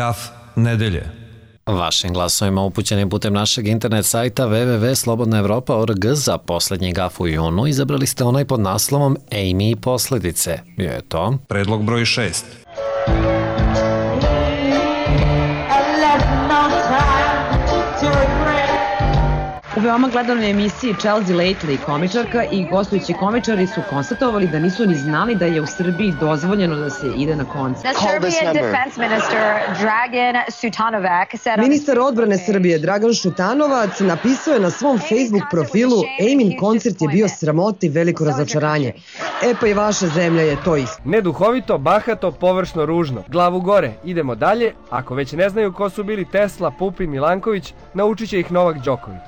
Gaf nedelje. Vašim glasovima upućenim putem našeg internet sajta www.slobodnaevropa.org za posljednji gaf u junu izabrali ste onaj pod naslovom Amy i posljedice. Bio je to Predlog broj 6. U veoma gledanoj emisiji Chelsea Lately komičarka i gostujući komičari su konstatovali da nisu ni znali da je u Srbiji dozvoljeno da se ide na koncert. Ministar odbrane Srbije Dragan Šutanovac napisao je na svom Facebook profilu: Ejmin koncert je bio sramota i veliko razočaranje. E pa i vaša zemlja je to isto. Neduhovito, bahato, površno, ružno. Glavu gore, idemo dalje. Ako već ne znaju ko su bili Tesla, Pupin, Milanković, naučit će ih Novak Đoković.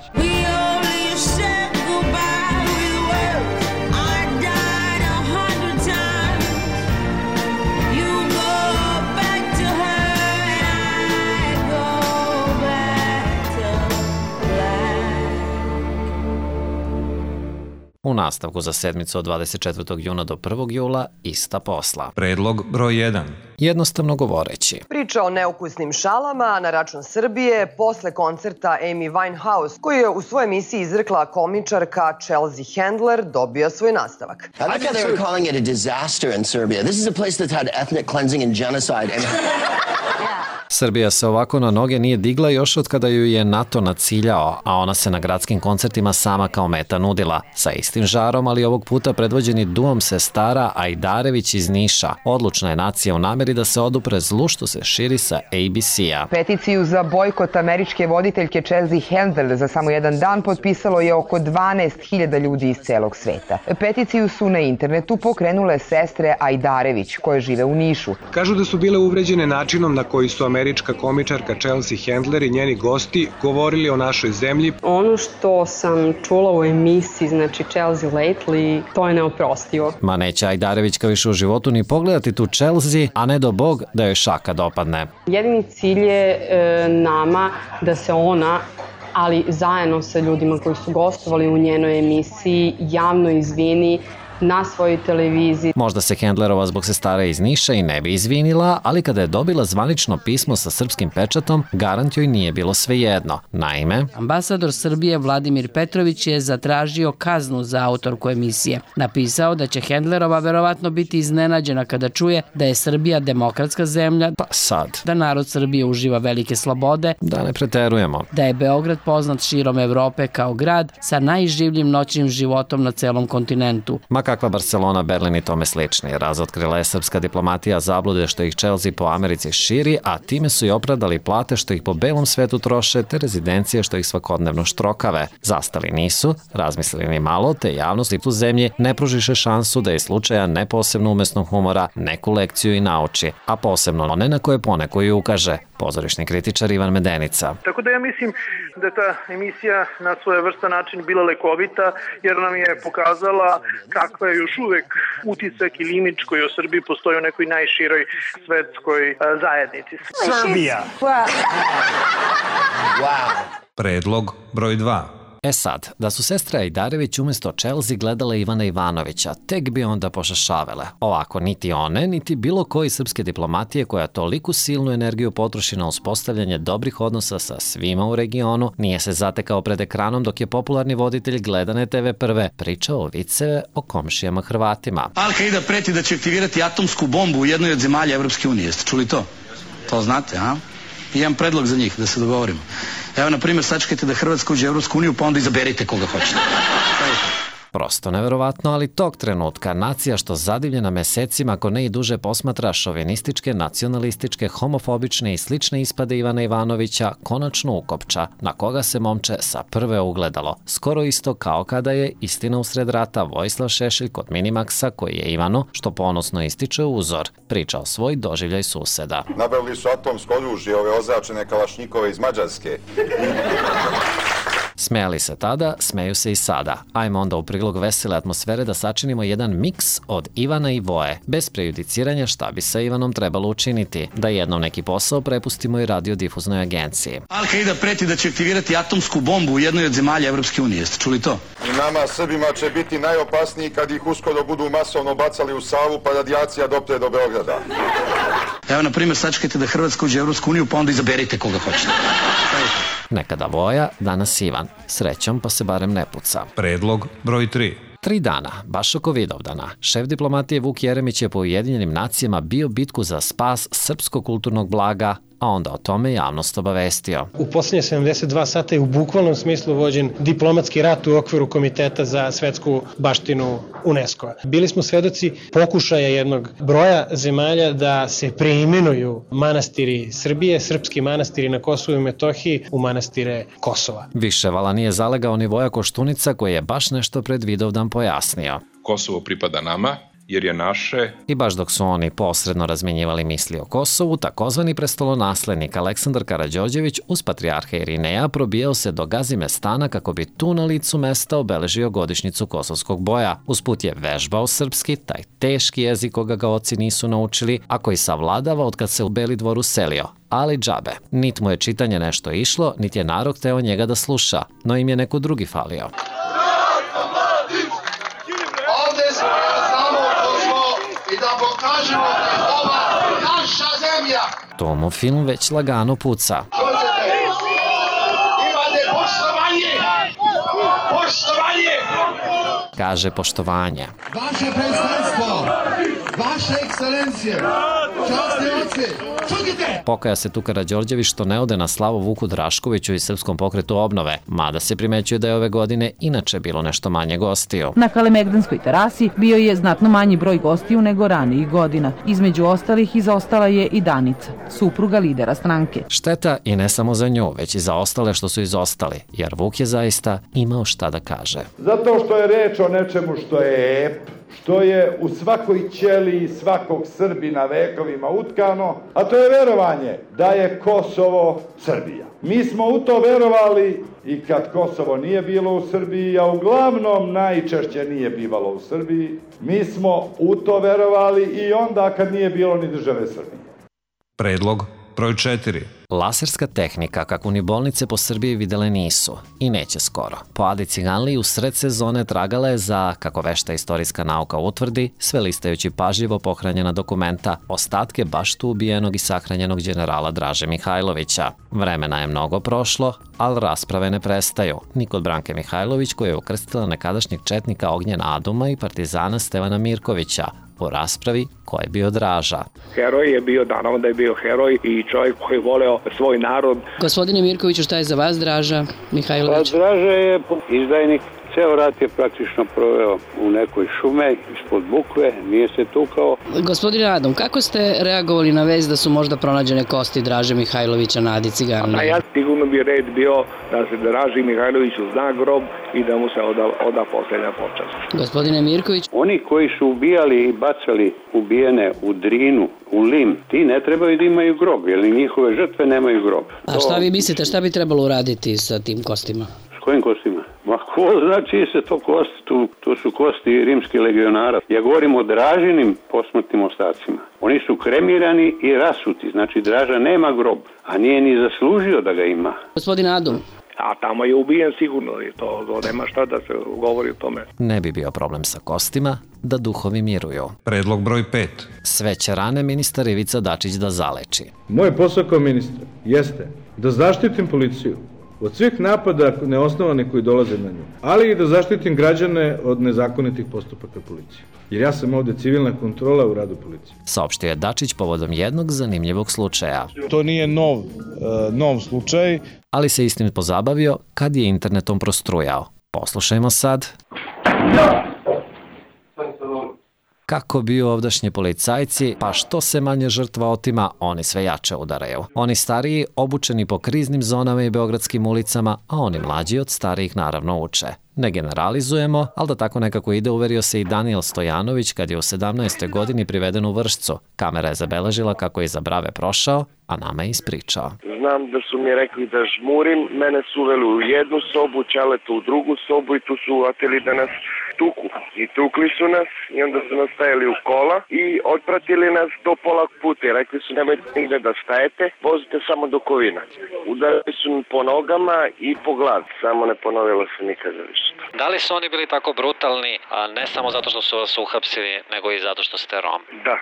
u nastavku za sedmicu od 24. juna do 1. jula ista posla. Predlog broj 1. Jednostavno govoreći. Priča o neukusnim šalama na račun Srbije posle koncerta Amy Winehouse, koju je u svojoj emisiji izrekla komičarka Chelsea Handler, dobio svoj nastavak. I like how they were calling it a disaster in Serbia. This is a place that's had ethnic cleansing and genocide. Srbija se ovako na noge nije digla još od kada ju je NATO naciljao, a ona se na gradskim koncertima sama kao meta nudila. Sa istim žarom, ali ovog puta predvođeni duom sestara Ajdarević iz Niša. Odlučna je nacija u nameri da se odupre zlu što se širi sa ABC-a. Peticiju za bojkot američke voditeljke Chelsea Handler za samo jedan dan potpisalo je oko 12.000 ljudi iz celog sveta. Peticiju su na internetu pokrenule sestre Ajdarević, koje žive u Nišu. Kažu da su bile uvređene načinom na koji su američka komičarka Chelsea Handler i njeni gosti govorili o našoj zemlji. Ono što sam čula u emisiji, znači Chelsea Lately, to je neoprostivo. Ma neće Ajdarevićka više u životu ni pogledati tu Chelsea, a ne do Bog da joj šaka dopadne. Jedini cilj je nama da se ona, ali zajedno sa ljudima koji su gostovali u njenoj emisiji, javno izvini na svojoj televiziji. Možda se Handlerova zbog sestara iz Niša i ne bi izvinila, ali kada je dobila zvanično pismo sa srpskim pečatom, garant joj nije bilo svejedno. Naime, ambasador Srbije Vladimir Petrović je zatražio kaznu za autorku emisije. Napisao da će Handlerova verovatno biti iznenađena kada čuje da je Srbija demokratska zemlja, pa sad, da narod Srbije uživa velike slobode, da ne preterujemo, da je Beograd poznat širom Evrope kao grad sa najživljim noćnim životom na celom kontinentu. Kakva Barcelona, Berlin i tome slični. Razotkrila je srpska diplomatija zablude što ih Chelsea po Americi širi, a time su i opravdali plate što ih po belom svetu troše, te rezidencije što ih svakodnevno štrokave. Zastali nisu, razmislili ni malo, te javnosti tu zemlji ne pružiše šansu da je slučaja ne posebno umesnog humora neku lekciju i nauči, a posebno one na koje poneko i ukaže. Pozorišni kritičar Ivan Medenica. Tako da ja mislim da je ta emisija na svojevrstan način bila lekovita, jer nam je pokazala kakva je još uvek utisak ili imidž koji u Srbiji postoji u nekoj najširoj svetskoj zajednici. Srbija! Predlog broj 2. E sad, da su sestre Ajdarević umjesto Chelsea gledale Ivana Ivanovića, tek bi onda pošašavele. Ovako, niti one, niti bilo koji srpske diplomatije koja toliku silnu energiju potroši na uspostavljanje dobrih odnosa sa svima u regionu, nije se zatekao pred ekranom dok je popularni voditelj gledane TV Prve pričao viceve o komšijama Hrvatima. Al-Qaida preti da će aktivirati atomsku bombu u jednoj od zemalja Evropske unije. Jeste čuli to? To znate, a? Imam predlog za njih, da se dogovorimo. Evo, na primjer, sačekajte da Hrvatska uđe u Evropsku uniju, pa onda izaberite koga hoćete. Prosto neverovatno, ali tog trenutka nacija što zadivljena mesecima, ako ne i duže, posmatra šovinističke, nacionalističke, homofobične i slične ispade Ivana Ivanovića konačno ukopča, na koga se momče sa Prve ugledalo. Skoro isto kao kada je, istina usred rata, Vojislav Šešelj kod Minimaxa, koji je Ivanu, što ponosno ističe, uzor, pričao svoj doživljaj suseda. Nabavili su atomsko oružje, ove označene kalašnjikove iz Mađarske. Smejali se tada, smeju se i sada. Ajmo onda u prilog vesele atmosfere da sačinimo jedan miks od Ivana i Voje, bez prejudiciranja šta bi sa Ivanom trebalo učiniti, da jednom neki posao prepustimo i radiodifuznoj agenciji. Al-Qaida preti da će aktivirati atomsku bombu u jednoj od zemalja Evropske unije. Jeste čuli to? I nama Srbima će biti najopasniji kad ih uskoro budu masovno bacali u Savu pa radijacija dopre do Beograda. Evo, na primjer, sačekajte da Hrvatska uđe u Evropsku uniju, pa onda izaberite koga hoćete. Nekada Voja, danas Ivan. Srećom pa se barem ne puca. Predlog broj 3. 3 dana, baš oko Vidovdana, šef diplomatije Vuk Jeremić je po Ujedinjenim nacijama bio bitku za spas srpskog kulturnog blaga, a onda o tome javnost obavestio. U poslednje 72 sata je u bukvalnom smislu vođen diplomatski rat u okviru Komiteta za svetsku baštinu UNESCO-a. Bili smo svedoci pokušaja jednog broja zemalja da se preimenuju manastiri Srbije, srpski manastiri na Kosovu i Metohiji u manastire Kosova. Više vala nije zalegao ni Voja Koštunica koji je baš nešto pred Vidovdan pojasnio. Kosovo pripada nama, jer je naše. I baš dok su oni posredno razmenjivali misli o Kosovu, takozvani prestolonaslednik Aleksandar Karađorđević uz patrijarha Irineja probijao se do Gazimestana kako bi tu na licu mesta obeležio godišnjicu kosovskog boja. Usput je vežbao srpski, taj teški jezik koga ga oci nisu naučili, a koji savladava od kad se u Beli dvor uselio. Ali džabe. Nit mu je čitanje nešto išlo, nit je narod hteo njega da sluša, no im je neko drugi falio. To mu film već lagano puca. Kaže poštovanje. Vaše predstavstvo, vaše ekscelencije, časni oci, čutite! Pokaja se tu Karađorđević što ne ode na slavu Vuku Draškoviću i Srpskom pokretu obnove, mada se primećuje da je ove godine inače bilo nešto manje gostiju. Na Kalemegdanskoj terasi bio je znatno manji broj gostiju nego ranijih godina. Između ostalih izostala je i Danica, supruga lidera stranke. Šteta i ne samo za nju, već i za ostale što su izostali, jer Vuk je zaista imao šta da kaže. Zato što je reč o nečemu što je ep, što je u svakoj ćeliji svakog Srbina vekovima utkano, a to je verovanje da je Kosovo Srbija. Mi smo u to verovali i kad Kosovo nije bilo u Srbiji, a uglavnom najčešće nije bivalo u Srbiji, mi smo u to verovali i onda kad nije bilo ni države Srbije. Predlog broj 4. Laserska tehnika, kako ni bolnice po Srbiji videle nisu i neće skoro. Po Adi Ciganliji u sred sezone tragala je za, kako vešta istorijska nauka utvrdi, sve listajući pažljivo pohranjena dokumenta, ostatke baš tu ubijenog i sahranjenog generala Draže Mihajlovića. Vremena je mnogo prošlo, ali rasprave ne prestaju. Ni kod Branke Mihajlović koja je ukrstila nekadašnjeg četnika Ognjena Aduma i partizana Stevana Mirkovića, u raspravi ko je bio Draža. Heroj je bio, naravno da je bio heroj i čovjek koji je voleo svoj narod. Gospodine Mirkoviću, šta je za vas Draža Mihajlović? Pa Draža je izdajnik. Ceo rat je praktično proveo u nekoj šume, ispod bukve, nije se tukao. Gospodine Adam, kako ste reagovali na vest da su možda pronađene kosti Draže Mihajlovića na Adi Ciganliji? Ja sigurno bi red bio da se Draži Mihajloviću zna grob i da mu se oda posljednja počast. Gospodine Mirković? Oni koji su ubijali i bacali ubijene u Drinu, u Lim, ti ne trebaju da imaju grob, jer njihove žrtve nemaju grob. A šta vi mislite, šta bi trebalo uraditi sa tim kostima? S kojim kostima? Ma ko znači se to kosti, to su kosti rimskih legionara. Ja govorim o Dražinim posmrtnim ostacima. Oni su kremirani i rasuti, znači Draža nema grob, a nije ni zaslužio da ga ima. Gospodin Adum. A tamo je ubijen sigurno i to nema šta da se govori o tome. Ne bi bio problem sa kostima da duhovi miruju. Predlog broj 5. Sve će rane ministar Ivica Dačić da zaleči. Moj posao kao ministra jeste da zaštitim policiju od svih napada neosnovanih koji dolaze na nju, ali i da zaštitim građane od nezakonitih postupaka policije. Jer ja sam ovde civilna kontrola u radu policije. Saopštio je Dačić povodom jednog zanimljivog slučaja. To nije nov slučaj. Ali se istim pozabavio kad je internetom prostrujao. Poslušajmo sad. Kako bi ovdašnji policajci, pa što se manje žrtva otima, oni sve jače udaraju. Oni stariji, obučeni po kriznim zonama i beogradskim ulicama, a oni mlađi od starijih naravno uče. Ne generalizujemo, ali da tako nekako ide uverio se i Danijel Stojanović kad je u 17. godini priveden u Vršcu. Kamera je zabeležila kako je iza brave prošao, a nama je ispričao. Znam da su mi rekli da žmurim, mene su uveli u jednu sobu, Ćaleta u drugu sobu i tu su uvatili da nas tuku. I tukli su nas i onda su nas stajali u kola i otpratili nas do pola puta i rekli su nemojte nigde da stajete, vozite samo do Kovina. Udarili su mi po nogama i po glavi, samo ne ponovilo se nikada više. Da li su oni bili tako brutalni, a ne samo zato što su vas uhapsili, nego i zato što ste Rom? Da,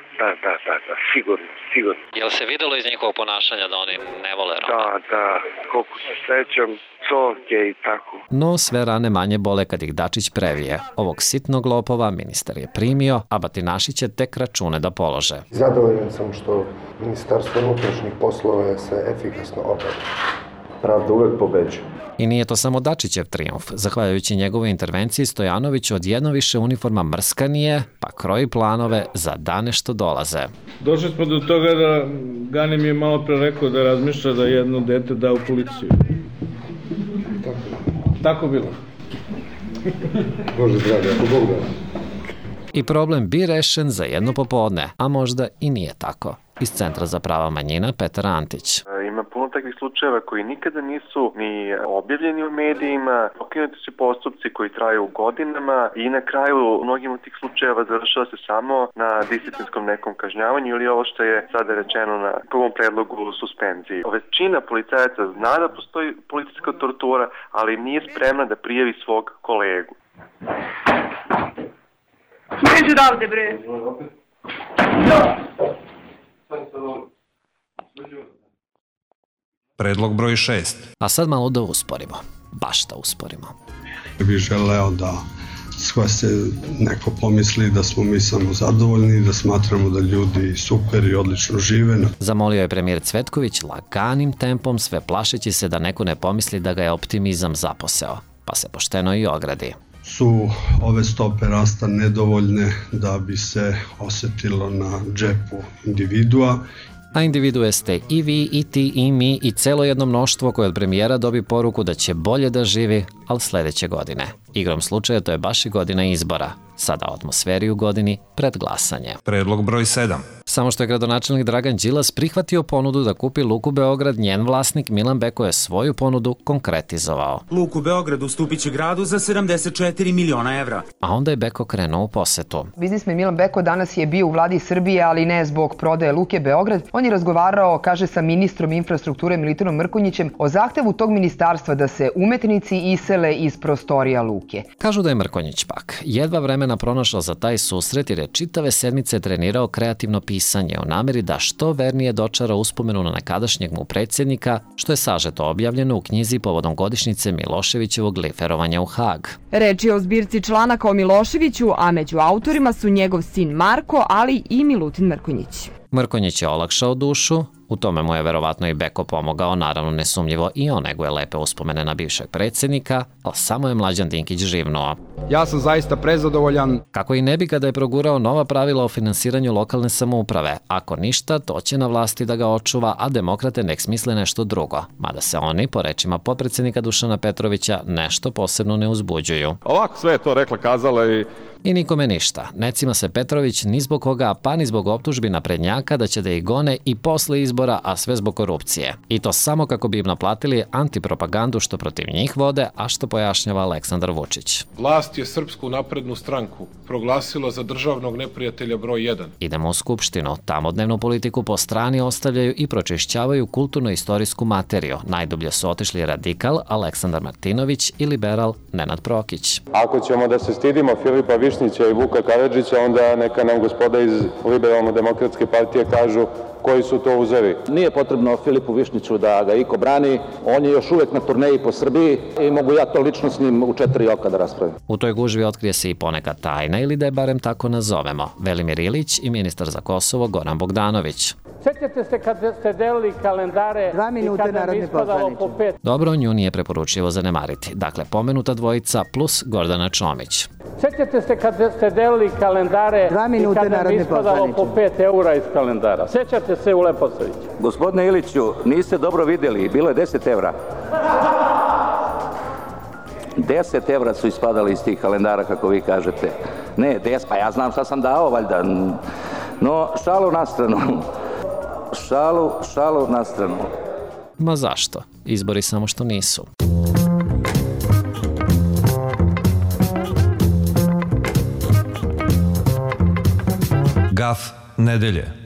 sigurno. Jel se videlo iz njihovog ponašanja da oni ne vole Roma? Da, koliko se sećam, coke i tako. No, sve rane manje bole kad ih Dačić previje. Ovog sitnog lopova ministar je primio, a batinaši će tek račune da polože. Zadovoljan sam što Ministarstvo unutrašnjih poslova se efikasno obavlja. Pravda uvek pobeđuje. I nije to samo Dačićev trijumf. Zahvaljujući njegovoj intervenciji, Stojanović odjedno više uniforma mrskanije, pa kroji planove za dane što dolaze. Došli smo do toga da Gani mi je malo pre rekao da razmišlja da jedno dete da u policiju. Tako bilo. Bože dragi, ako Bog da. I problem bi rešen za jedno popodne, a možda i nije tako. Iz Centra za prava manjina Petar Antić. Ima puno takvih slučajeva koji nikada nisu ni objavljeni u medijima, pokrenuti su postupci koji traju godinama i na kraju u mnogim od tih slučajeva završava se samo na disciplinskom nekom kažnjavanju ili ovo što je sada rečeno na prvom predlogu suspenziji. Većina policajaca zna da postoji policijska tortura, ali nije spremna da prijavi svog kolegu. Smiš odavde, bre! Predlog broj 6. A sad malo da usporimo. Baš da usporimo. Bih želeo da se neko pomisli da smo mi samo zadovoljni, da smatramo da ljudi super i odlično žive. Zamolio je premijer Cvetković laganim tempom, sve plašeći se da neko ne pomisli da ga je optimizam zaposeo. Pa se pošteno i ogradi. Su ove stope rasta nedovoljne da bi se osetilo na džepu individua. A individue ste i vi, i ti, i mi, i celo jedno mnoštvo koje od premijera dobi poruku da će bolje da živi, ali sledeće godine. Igrom slučaja to je baš i godina izbora. Sada o atmosferi u godini pred glasanje. Predlog broj 7. Samo što je gradonačelnik Dragan Đilas prihvatio ponudu da kupi Luku Beograd, njen vlasnik Milan Beko je svoju ponudu konkretizovao. Luku Beograd ustupit će gradu za 74 miliona evra. A onda je Beko krenuo u posetu. Biznismen Milan Beko danas je bio u vladi Srbije, ali ne zbog prodaje Luke Beograd. On je razgovarao, kaže, sa ministrom infrastrukture Milutinom Mrkonjićem o zahtevu tog ministarstva da se umetnici isele iz prostorija Luke. Kažu da je Mrkonjić pak jedva vremena pronašao za taj susret jer je čitave sedmice trenirao kreativno pisanje u nameri da što vernije dočara uspomenu na nekadašnjeg mu predsjednika, što je sažeto objavljeno u knjizi povodom godišnjice Miloševićevog liferovanja u Hag. Reč je o zbirci članaka o Miloševiću, a među autorima su njegov sin Marko, ali i Milutin Mrkonjić. Mrkonjić je olakšao dušu, u tome mu je verovatno i Beko pomogao, naravno nesumnjivo i on neguje lepe uspomene na bivšeg predsjednika, ali samo je Mlađan Dinkić živnuo. Ja sam zaista prezadovoljan. Kako i ne bi kada je progurao nova pravila o finansiranju lokalne samouprave. Ako ništa, to će na vlasti da ga očuva, a demokrate nek smisle nešto drugo. Mada se oni, po rečima potpredsjednika Dušana Petrovića, nešto posebno ne uzbuđuju. Ovako sve je to rekla, kazala I nikome ništa. Ne cima se Petrović ni zbog koga, pa ni zbog optužbi naprednjaka da će da ih gone i posle izbora, a sve zbog korupcije. I to samo kako bi im naplatili antipropagandu što protiv njih vode, a što pojašnjava Aleksandar Vučić. Vlast je Srpsku naprednu stranku proglasila za državnog neprijatelja broj 1. Idemo u Skupštinu. Tamo dnevnu politiku po strani ostavljaju i pročišćavaju kulturno-istorijsku materiju. Najdublje su otišli radikal Aleksandar Martinović i liberal Nenad Prokić. Ako ćemo da se stidimo Filipa Višnjića i Vuka Karadžića, onda neka nam gospoda iz Liberalno-demokratske partije kažu koji su to uzevi. Nije potrebno Filipu Višnjiću da ga iko brani, on je još uvek na turneji po Srbiji i mogu ja to lično s njim u 4 oka da raspravim. U toj gužvi otkrije se i poneka tajna, ili da je barem tako nazovemo. Velimir Ilić i ministar za Kosovo Goran Bogdanović. Sjećate se kad ste delili kalendare i kad nam ispadalo po 5. Dobro, nju nije preporučivo zanemariti. Dakle, pomenuta dvojica plus Gordana Čomić. Sjećate se kad ste delili kalendare i kad nam ispadalo po 5 eura iz kalendara. Sjećate se u Leposaviću. Gospodine Iliću, niste dobro vidjeli, bilo je 10 evra. 10 evra su ispadali iz tih kalendara, kako vi kažete. Ne, 10, pa ja znam šta sam dao, valjda. No, šalu na stranu. Šalu na stranu. Ma zašto? Izbori samo što nisu. Gaf nedelje.